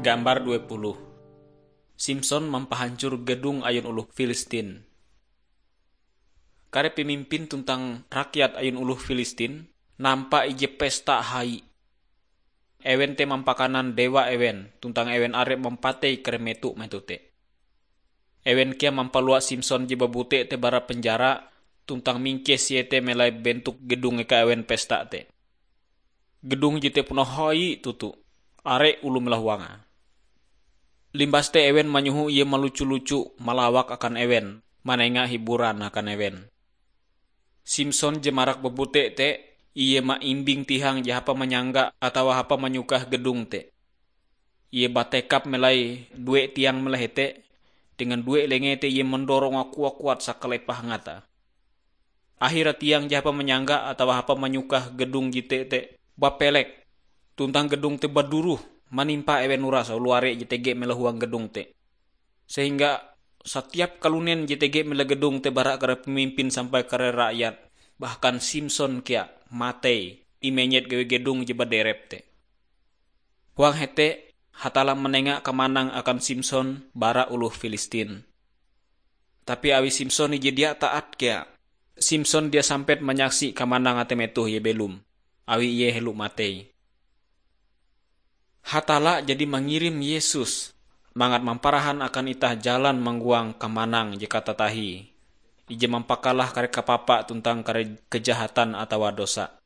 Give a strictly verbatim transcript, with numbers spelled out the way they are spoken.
Gambar dua puluh. Simson mampahancor gedung ayun oloh Filistin. Kare pemimpin tuntang rakyat ayun oloh Filistin nampa ije pesta hai. Ewen te mampakanan dewa ewen, tuntang ewen are mampatei kare meto-meto te. Ewen kea mampalua Simson je babute te bara penjara, tuntang mingkes ie te melai bentuk gedung eka ewen pesta te. Gedung jete puna hai toto, are oloh malahuange. Limbas te ewen manyoho ie malucu-lucu malawak akan ewen, manenga hiburan akan ewen. Simson je marak babute te, ie maimbing tihang je hapa manyangga atawa hapa manyukah gedung te. Ie batekap melai due tiang melai hete, dengan due lenge te ie mandorong kuat-kuat sakalepah ngata. Ahira tiang je hapa manyangga atawa hapa manyukah gedung jete te bapelek, tuntang gedung te baduroh manimpa ewen uras oloh are je tege melahuang gedung te. Sehingga satiap kalunen je tege mela gedung te bara kare pemimpin sampai kare rakyat, bahkan Simson kea matei imenyet gawi gedung je baderep te. Huang hete, Hatalla manenga kamanang akan Simson bara oloh Filistin. Tapi awi Simson ije dia taat kea, Simson dia sampet manyaksi kamanang atei metoh ie belom, awi ie helo matei. Hatalla jadi mangirim Yesus mangat mamparahan akan itah jalan manggoang kamanang je katatahie, ije mampakalah kare kapapa tuntang kare kejahatan atawa dosa.